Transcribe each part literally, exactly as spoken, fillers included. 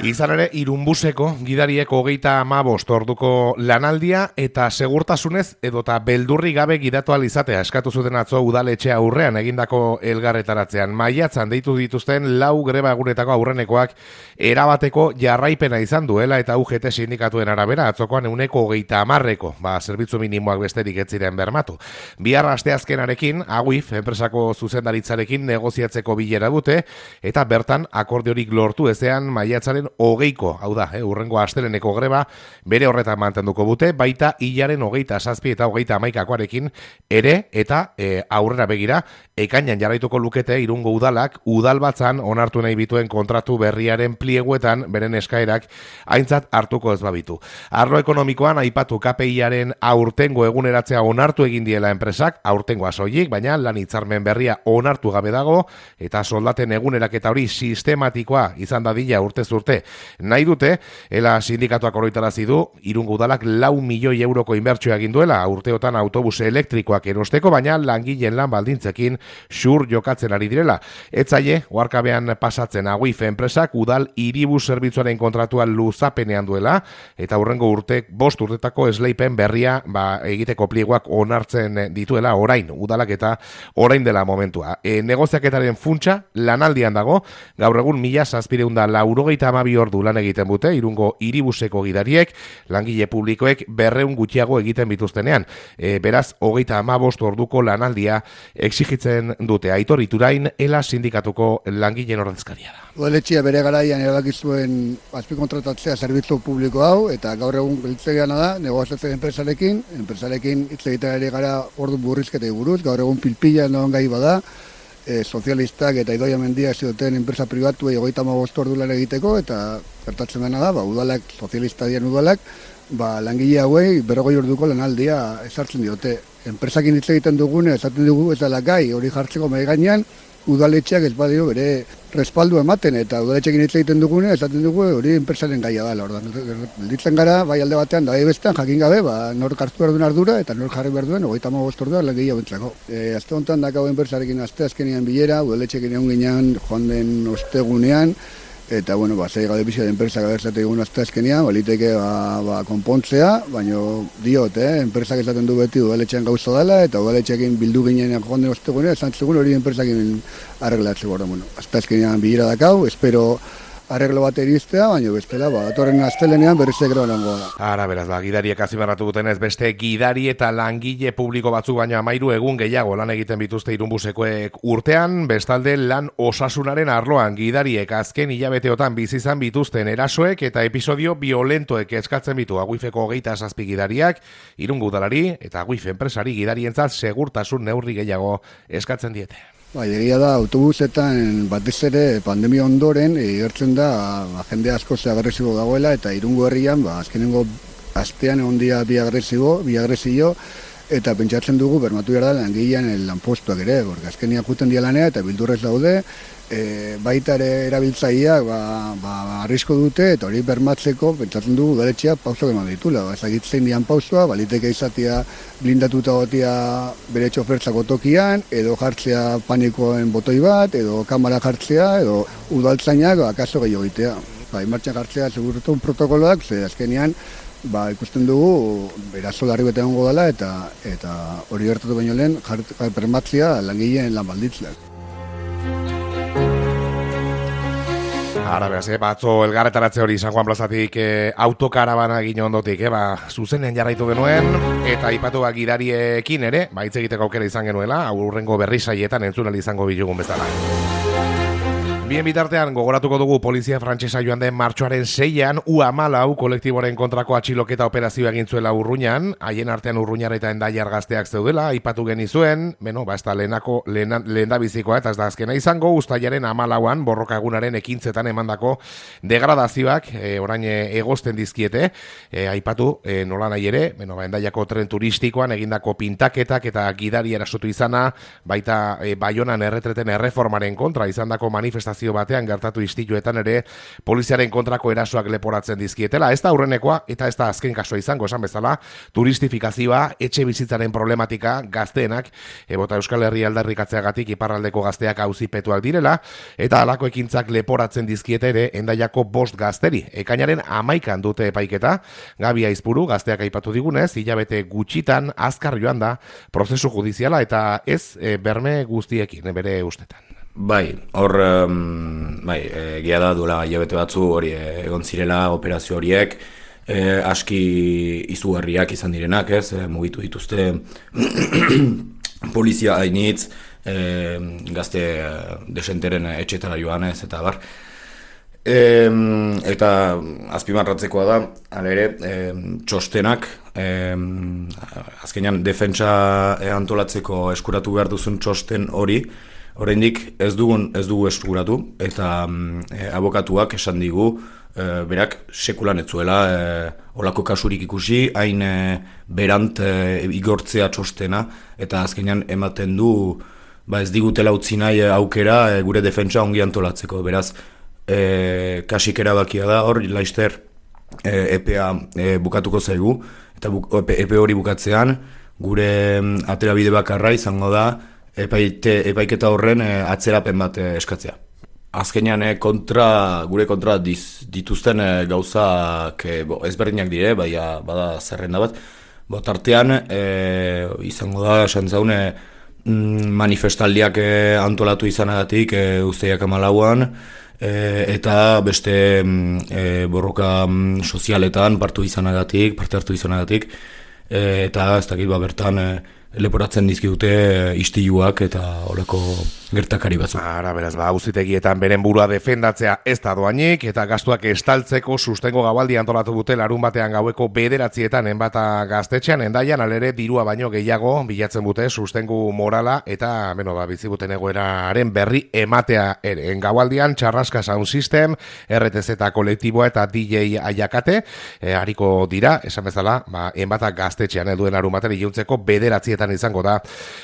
Izan ere, Irunbuseko gidariek hogeita hamabost orduko lanaldia eta segurtasunez edota beldurri gabe gidatu ahal izatea eskatu zuten atzo udaletxe aurrean egindako elgarretaratzean. Maiatzan deitu dituzten lau greba egunetako aurrenekoak erabateko jarraipena izan duela eta U G T sindikatuen arabera atzokoan euneko hogeita hamarreko, ba, zerbitzu minimoak besterik ez ziren bermatu. Bihar asteazkenarekin, Aguif, enpresako zuzendaritzarekin negoziatzeko bilera dute eta bertan akordiorik lortu ezean maiatzaren hogeiko, hau da, eh, urrengo asteleneko greba bere horretan mantenduko dute, baita hilaren hogeita zazpi eta hogeita hamaikakoarekin ere eta e, aurrera begira, ekainan jarraituko lukete Irungo udalak udalbatzan onartu nahi bituen kontratu berriaren plieguetan beren eskaerak aintzat hartuko ez babitu. Arlo ekonomikoan aipatu K P I-aren aurtengo eguneratzea onartu egin diela enpresak, aurtengoa soilik, baina lan hitzarmen berria onartu gabe dago eta soldaten eguneraketa hori sistematikoa izan dadila urtez urte nahi dute, ela sindikatuak oroitarazi du, Irungo udalak lau milioi euroko inbertsioa egin duela urteotan autobus elektrikoak erosteko, baina langileen lan baldintzekin xur jokatzen ari direla. Etzaile, oarkabean pasatzen Aguif enpresak udal hiribus zerbitzuaren kontratua luzapenean duela, eta hurrengo urtek, bost urtetako esleipen berria ba, egiteko pliegoak onartzen dituela orain, udalak eta orain dela momentua. E, negoziaketaren funtsa lanaldian dago, gaur egun mila zazpireunda laurogeita hamabi ordu lan egiten dute, Irungo hiribuseko gidariek, langile publikoek berreun gutxiago egiten bituztenean. E, beraz, hogeita hamabost orduko lanaldia exigitzen dute. Aitor Iturain, ela sindikatuko langileen ordezkaria da. Udaletxea bere garaian erabaki zuen azpikontratatzea zerbitzu publiko hau, eta gaur egun biltzegeana da, negoziatzen enpresarekin, enpresarekin hitz egiten ari gara ordu burrizketei buruz, gaur egun pilpila non gai bada, e, sozialistak eta Idoia Mendia zioten enpresa pribatuei hogeita hamabost ordu lan egiteko, eta gertatzen dena da, ba, udalak, sozialista dian udalak, ba, langile hauei berrogei orduko lanaldia ezartzen diote. Enpresakin hitz egiten dugune, esaten dugu ez dela gai, hori jartzeko mahai gainean, udaletxeak ez badio bere respaldu ematen, eta udaletxekin hitz egiten dugune, esaten dugu hori enpresaren gaia dela. Ordan gelditzen gara, bai alde batean, da bestean jakin gabe, ba, nork hartu behar duen ardura, eta nork jarri behar duen, hogeita hamabost ordua langile hauentzako. E, azte honetan dakau enpresarekin azte azkenean bilera, udaletxekin egon ginean, joan den ostegunean, eta, bueno, ba, zei gade bizia de enpresa gaberzate egun azte azkenean, baliteke ba, ba, konpontzea, baina diot, eh, enpresak esaten du beti udaletxean gauza dela, eta udaletxeakin bildu ginen joan den ostegunean, esan zegoen hori enpresakin arreglatzeko. Bueno, azte azkenean bilera dakau, espero arreglo bat eriztea, baina bestela, ba, atorren astelenean berrizek groa langoa da. Ara, beraz, ba, gidariek azimarratu dutenez, beste gidari eta langile publiko batzuk baina amairu egun gehiago lan egiten bituzte Irunbusekoek urtean, bestalde lan osasunaren arloan gidariek azken hilabeteotan bizi izan bituzten erasoek eta episodio violentoek eskatzen bitu Aguifeko hogeita zazpi gidariak, Irungo udalari eta Aguif enpresari gidarientzat segurtasun neurri gehiago eskatzen diete. Bai, egia da, autobusetan batez ere pandemia ondoren egertzen da ba, jende asko ze agresibo dagoela eta Irungo herrian ba, azkenengo astean egon dira bi agresibo, bi agresio eta pentsatzen dugu bermatu behar da langilean lanpostuak ere, porque azkenian juten dia lanea eta bildurrez daude, e, baita ere erabiltzaileak ba, ba, arrisko dute eta hori bermatzeko pentsatzen dugu udaletxeak pausok eman ditula. Ba, ezagitzen dian pausua, baliteke izatea blindatuta gotia bere txofertzako tokian, edo jartzea panikoen botoi bat, edo kamera jartzea, edo udaltzainak ba, kaso gehiago egitea. Ba, martxan jartzea segurtu protokoloak, ze azkenean ba, ikusten dugu eraso larri bete egongo dela eta eta hori gertatu baino lehen bermatzea langileen lan baldintzak. Ara, beraz, eh, batzo elgarretaratze hori San Juan plazatik eh, autokarabana egin ondotik, eh, ba, zuzenean jarraitu genuen, eta aipatu ba, gidariekin ere, ba, hitz egiteko aukera izan genuela, aurrengo berri saietan entzunal izango bilugun bezala. Bien bitartean, gogoratuko dugu polizia frantsesa joan den martxoaren seian U hamalau kolektiboren kontrako atxiloketa operazioa egin zuela Urruñan, haien artean Urruñar eta Endaiar gazteak zeudela, aipatu genizuen, beno, ba, ez da lehenako, lehen, lehen da bizikoa, eta ez da azkena izango, uztailaren hamalauan, borroka egunaren ekintzetan emandako degradazioak, e, orain egozten dizkiete, e, aipatu, e, nola nahi ere, beno, ba, Endaiako tren turistikoan egindako pintaketak eta gidari erasotu izana, baita e, Baionan erretreten erreformaren kontra izandako manifestazioa manifestazio batean gertatu istiluetan ere poliziaren kontrako erasoak leporatzen dizkietela. Ez da aurrenekoa eta ez da azken kasua izango, esan bezala, turistifikazioa, etxe bizitzaren problematika, gazteenak, ebota Euskal Herria aldarrikatzeagatik iparraldeko gazteak auzipetuak direla, eta halako ekintzak leporatzen dizkiete ere Hendaiako bost gazteri. Ekainaren hamaikan dute epaiketa, Gabi Aizpuru gazteak aipatu digunez, hilabete gutxitan azkar joan da prozesu judiziala eta ez e, berme guztiekin, bere ustetan. Bai, hor, um, bai, egia da duela hilabete batzu hori egon zirela operazio horiek, e, aski izugarriak izan direnak, ez, e, mugitu dituzte polizia hainitz, e, gazte desenteren etxetara joan ez, eta bar. E, eta azpimarratzekoa da, hala ere, e, txostenak, e, azkenean defentsa antolatzeko eskuratu behar duzun txosten hori, oraindik ez dugun ez dugu eskuratu, eta e, abokatuak esan digu, e, berak sekulan ez zuela e, olako kasurik ikusi, hain e, berant e, igortzea txostena, eta azkenean ematen du, ba ez digutela utzi nahi aukera e, gure defentsa ongi antolatzeko, beraz, E, kasik erabakia da, hor, laister e, epea e, bukatuko zaigu, eta bu, epe, epe hori bukatzean, gure aterabide bakarra izango da, epaite, epaiketa horren e, atzerapen bat e, eskatzea. Azkenean e, kontra, gure kontra diz, dituzten e, gauzak e, bo, ezberdinak dire, baina bada zerrenda bat, bo, tartean e, izango da, esan zaune, manifestaldiak e, antolatu izanagatik e, uzteiak amalauan, E, eta beste e, borroka sozialetan partu izanagatik, parte hartu izanagatik, e, eta ez dakit ba bertan e, leporatzen dizkidute istiluak eta olako gertakari batzu. Ara, beraz, ba, auzitegietan beren burua defendatzea ez da doainik, eta gastuak estaltzeko sustengo gabaldi antolatu dute larun batean gaueko bederatzietan enbata gaztetxean, Hendaian alere dirua baino gehiago bilatzen dute sustengu morala eta, beno, ba, bizibuten egoeraren berri ematea ere. En gabaldian, Txarraska Sound System, R T Z kolektiboa eta D J Aiakate, e, hariko dira, esan bezala, ba, enbata gaztetxean eduen larun batean iluntzeko bederatzietan izango da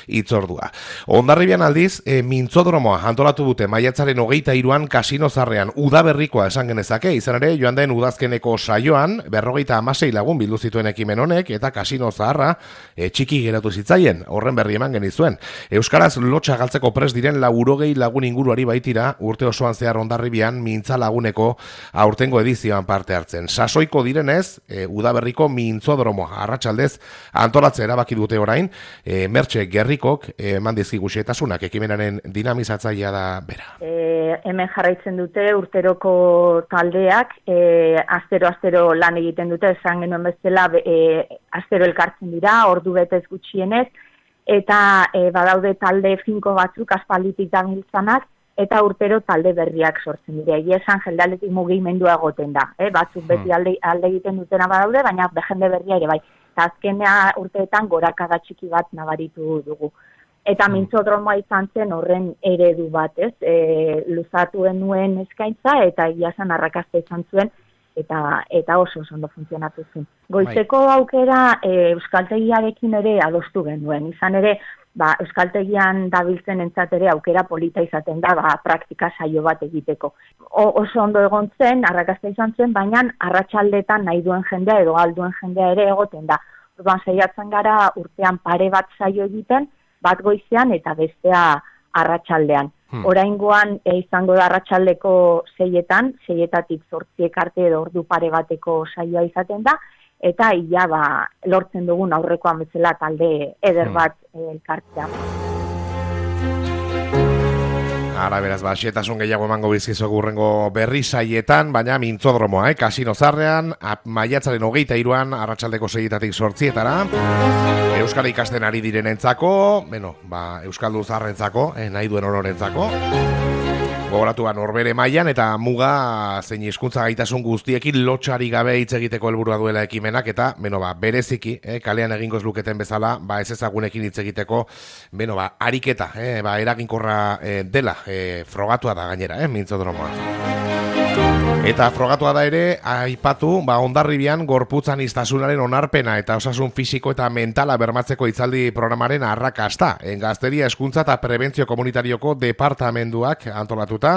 hitzordua. Hondarribian aldiz, e, mintzodromoa antolatu dute maiatzaren hogeita hiruan kasino zarrean udaberrikoa esan genezake, izan ere joan den udazkeneko saioan berrogeita hamasei lagun bildu zituen ekimen honek eta kasino zaharra e, txiki geratu zitzaien, horren berri eman genizuen. Euskaraz lotxa galtzeko prest diren laurogei lagun inguruari baitira urte osoan zehar Hondarribian mintza laguneko aurtengo edizioan parte hartzen. Sasoiko direnez, e, udaberriko mintzodromoa arratsaldez antolatzea erabaki dute orain, E, Mertxe Gerrikok eman dizkigu xehetasunak ekimenaren dinamizatzailea da bera. E, hemen jarraitzen dute urteroko taldeak, e, astero-astero lan egiten dute, esan genuen bezala e, astero elkartzen dira, ordu betez gutxienez, eta e, badaude talde finko batzuk aspalditik dabiltzanak, eta urtero talde berriak sortzen dira. Egia esan jendaletik mugimendua egoten da. E, batzuk beti alde, alde egiten dutena badaude, baina jende berria ere bai. Eta azkenea urteetan gorakada txiki bat nabaritu dugu. Eta mintzodromoa izan zen horren eredu bat, ez? E, luzatu nuen eskaintza eta egiazan arrakasta izan zuen eta eta oso oso ondo funtzionatu zen. Goizeko aukera e, euskaltegiarekin ere adostu genuen. Izan ere, ba, euskaltegian dabiltzen entzat ere aukera polita izaten da, ba, praktika saio bat egiteko. O, oso ondo egon zen, arrakasta izan zen, baina arratsaldetan nahi duen jendea edo alduen jendea ere egoten da. Orduan saiatzen gara urtean pare bat saio egiten, bat goizean eta bestea arratsaldean. Hmm. Oraingoan e, izango da arratsaldeko seietan, seietatik zortziek arte edo ordu pare bateko saioa izaten da, eta ia ba, lortzen dugun aurrekoan bezala talde eder bat hmm. elkartzea. Ara, beraz, ba, xetasun gehiago emango bizkizuak urrengo berri saietan, baina mintzodromoa, eh? Kasino zarrean, maiatzaren hogeita hiruan, arratsaldeko seietatik sortzietara, Euskara ikasten ari direnentzako, bueno, ba, Euskaldu zarrentzako, eh, nahi duen ororentzako, gogoratuan Norbere mailan eta muga zein hizkuntza gaitasun guztiekin lotxari gabe hitz egiteko helburua duela ekimenak eta beno ba bereziki eh, kalean egingo ez luketen bezala ba ez ezagunekin hitz egiteko beno ba ariketa eh, ba eraginkorra eh, dela eh, frogatua da gainera eh, mintzodromoa. Eta frogatua da ere, aipatu, ba, Hondarribian gorputzan iztasunaren onarpena eta osasun fisiko eta mentala bermatzeko hitzaldi programaren arrakasta. Gazteria hezkuntza eta prebentzio komunitarioko departamenduak antolatuta,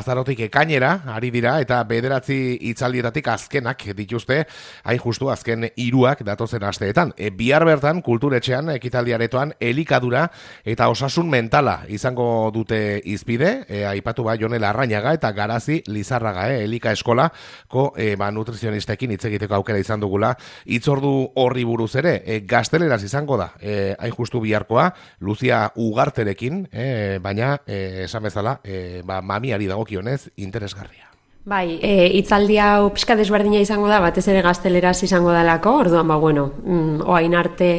azarotik ekainera, ari dira, eta bederatzi hitzaldietatik azkenak dituzte, hain justu azken hiruak datozen asteetan. E, bihar bertan, kulturetxean, ekitaldiaretoan, elikadura eta osasun mentala izango dute izpide, e, aipatu ba, Jone Larrañaga eta Garazi Lizarraga, e, Elika Eskolako e, ba, nutrizionistekin hitz egiteko aukera izan dugula. Hitzordu horri buruz ere, e, gazteleraz izango da, e, hain justu biharkoa, Lucia Ugarterekin, e, baina, e, esan bezala, e, ba, mamiari dagokionez interesgarria. Bai, e, hitzaldi hau pixka desberdina izango da, batez ere gazteleraz izango dalako, orduan, ba, bueno, mm, oain arte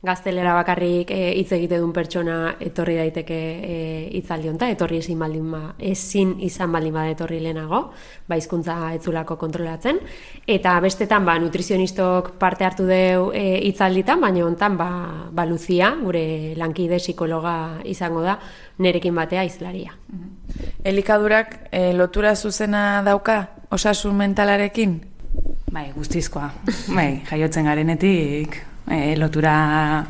gaztelera bakarrik hitz e, egite duen pertsona etorri daiteke e, hitzaldi honta, etorri ezin baldin ba, ezin izan baldin bada etorri lehenago, ba hizkuntza etzulako kontrolatzen, eta bestetan ba nutrizionistok parte hartu deu e, hitzalditan, baina hontan ba, ba Lucia, gure lankide psikologa izango da, nerekin batea hizlaria. Elikadurak e, lotura zuzena dauka osasun mentalarekin? Bai, guztizkoa. Bai, jaiotzen garenetik e, lotura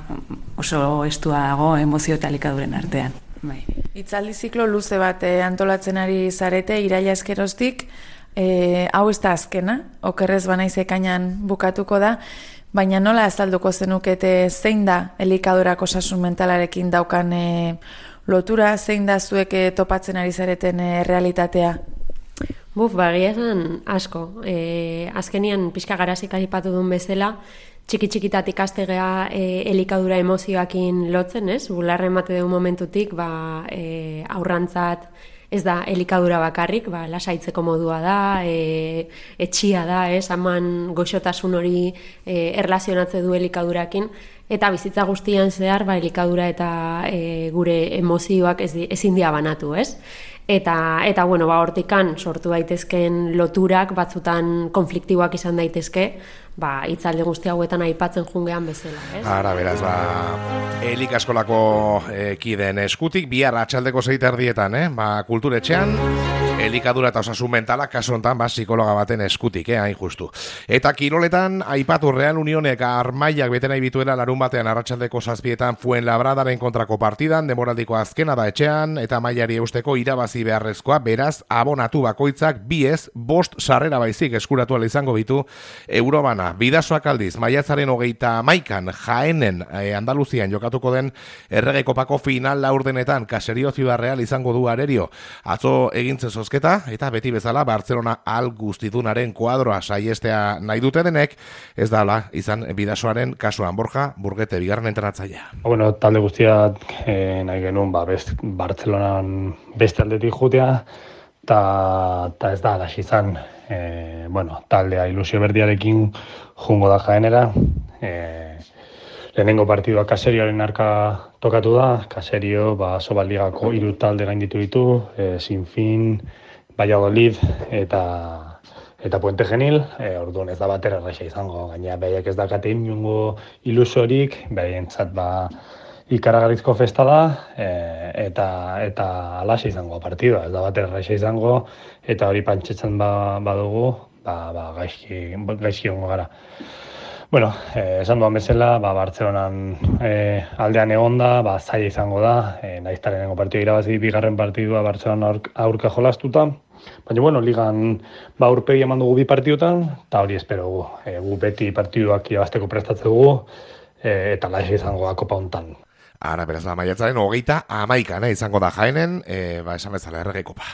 oso estua dago emozio eta elikaduren artean. Bai. Hitzaldi ziklo luze bat e, antolatzen ari zarete iraila eskeroztik, e, hau ez da azkena, okerrez banaiz ekainan bukatuko da, baina nola azalduko zenukete zein da elikadurak osasun mentalarekin daukan e, lotura, zein da zuek topatzen ari zareten e, realitatea? Buf, bagia esan asko. E, azkenian pixka Garazik aipatu duen bezala, txiki-txikitatik astegea e, elikadura emozioakin lotzen, ez? Bularra emate duen momentutik, ba, e, aurrantzat ez da elikadura bakarrik, ba, lasaitzeko modua da, e, etxia da, ez? Haman goxotasun hori e, erlazionatze du elikadurakin, eta bizitza guztian zehar, ba, elikadura eta e, gure emozioak ez, ezin dia banatu, ez? Eta, eta bueno, ba, hortikan sortu daitezken loturak batzutan konfliktiboak izan daitezke, ba, hitzaldi guzti hauetan aipatzen jungean bezala, ez? Ara, beraz, ba, Elika Eskolako e, kideen eskutik, bihar atxaldeko zeita erdietan, eh? Ba, kulturetxean, elikadura eta osasun mentala, kasu honetan, ba, psikologa baten eskutik, eh, hain justu. Eta kiroletan, aipatu Real Unionek armailak bete nahi bituela larun batean arratsaldeko zazpietan Fuenlabradaren kontrako partidan, demoraldiko azkena da etxean, eta mailari eusteko irabazi beharrezkoa, beraz, abonatu bakoitzak biez, bost sarrera baizik eskuratu ala izango bitu Eurobana. Bidasoak aldiz, maiatzaren hogeita hamaikan Jaenen eh, Andaluzian jokatuko den Errege Kopako final laurdenetan Caserio Ciudad Real izango du arerio. Atzo egintze zozketa, eta beti bezala Barcelona al guztidunaren kuadroa saiestea nahi dute denek, ez dala izan Bidasoaren kasuan. Borja Burgete, bigarren entrenatzailea. Bueno, talde guztiak eh, nahi genuen, ba, best, Barcelonan beste aldetik jutea, eta ez da alaxi izan. E, bueno, taldea ilusio berdiarekin jungo da Jaenera. E, lehenengo partidua Caserioaren arka tokatu da. Caserio, ba, Sobaldigako hiru talde gainditu ditu, e, Sinfín, Valladolid eta eta Puente Genil. E, orduan ez da batera erraxa izango, gaina behaiek ez dakate inungo ilusorik, behaientzat ba ikaragarrizko festa da, e, eta eta alaxe izango partidua, ez da bat erraixa izango, eta hori pantxetzen ba, badugu, ba, ba, gaizki, gaizki ongo gara. Bueno, eh, esan duan bezala, ba, Bartzelonan eh, aldean egonda, ba, zaila izango da, eh, naizta lehenengo partidua irabazi bigarren partidua Bartzelona aurka jolastuta, baina, bueno, ligan ba, aurpegi eman dugu bi partidutan, eta hori espero gu, e, gu beti partiduak irabazteko prestatze dugu, e, eta alaxe izango da kopa hontan. Ara, beraz, la maiatzaren hogeita hamaikan, eh, izango da Jaenen, eh, ba, esan bezala Errege Kopa.